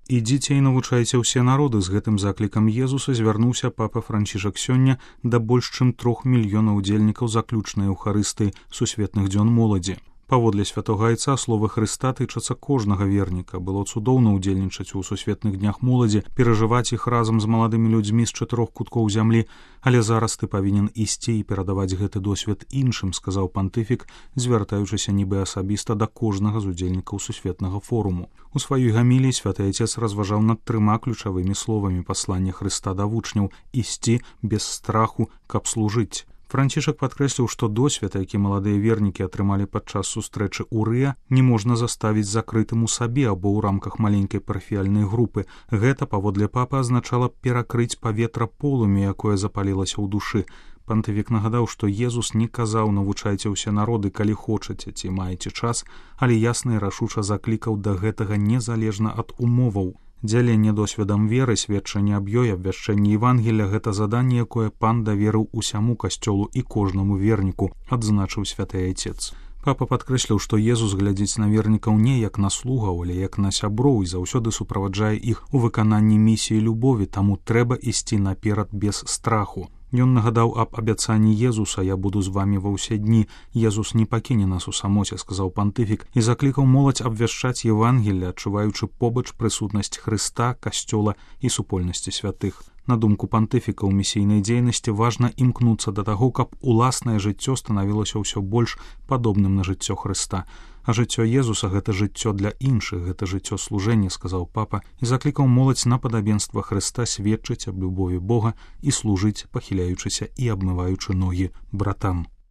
Ідзіце і навучайце ўсе народы. З гэтым заклікам Езуса звярнуўся папа Францішак сёння да больш чым 3 мільёнаў удзельнікаў заключнай эўхарыстыі сусветных дзён моладзі. Паводле святога айца словы Хрыста тычацца кожнага верніка. Было цудоўна ўдзельнічаць у сусветных днях моладзі, перажываць іх разам з маладымі людзьмі з 4 куткоў зямлі, але зараз ты павінен ісці і перадаваць гэты досвед іншым, сказаў пантыфік, звяртаючыся нібы асабіста да кожнага з удзельнікаў сусветнага форуму. У сваёй гаміліі святы айцец разважаў над 3 ключавымі словамі паслання Хрыста да вучняў: ісці без страху, каб служыць. Францішак падкрэсліў, што досвед, які маладыя вернікі атрымалі падчас сустрэчы ў Рыа, не можна заставіць закрытым у сабе або ў рамках маленькай парафіяльнай групы. Гэта, паводле папы, азначала перакрыць паветра полымя, якое запалілася ў душы. Пантыфік нагадаў, што Езус не казаў: навучайце ўсе народы, калі хочаце ці маеце час, але ясна і рашуча заклікаў да гэтага незалежна ад умоваў. Дзяленне досведам веры, сведчанне аб ёй, абвяшчэнне Евангелля — гэта заданне, якое пан даверыў усяму касцёлу і кожнаму верніку, адзначыў святы айцец. Папа падкрэсліў, што Езус глядзіць на вернікаў не як на слугаў, але як на сяброў і заўсёды суправаджае іх у выкананні місіі любові, таму трэба ісці наперад без страху. Ён нагадаў аб абяцанні Езуса: «Я буду з вамі ва ўсе дні». Езус не пакіне нас у самоце, сказаў пантыфік, і заклікаў моладзь абвяшчаць Евангелле, адчуваючы побач прысутнасць Хрыста, касцёла і супольнасці святых. На думку пантыфіка, у місійнай дзейнасці важна імкнуцца да таго, каб уласнае жыццё станавілася ўсё больш падобным на жыццё Хрыста. А жыццё Езуса — гэта жыццё для іншых, гэта жыццё служэння, сказаў папа, і заклікаў моладзь на падабенства Хрыста сведчыць аб любові Бога і служыць, пахіляючыся і абмываючы ногі братам.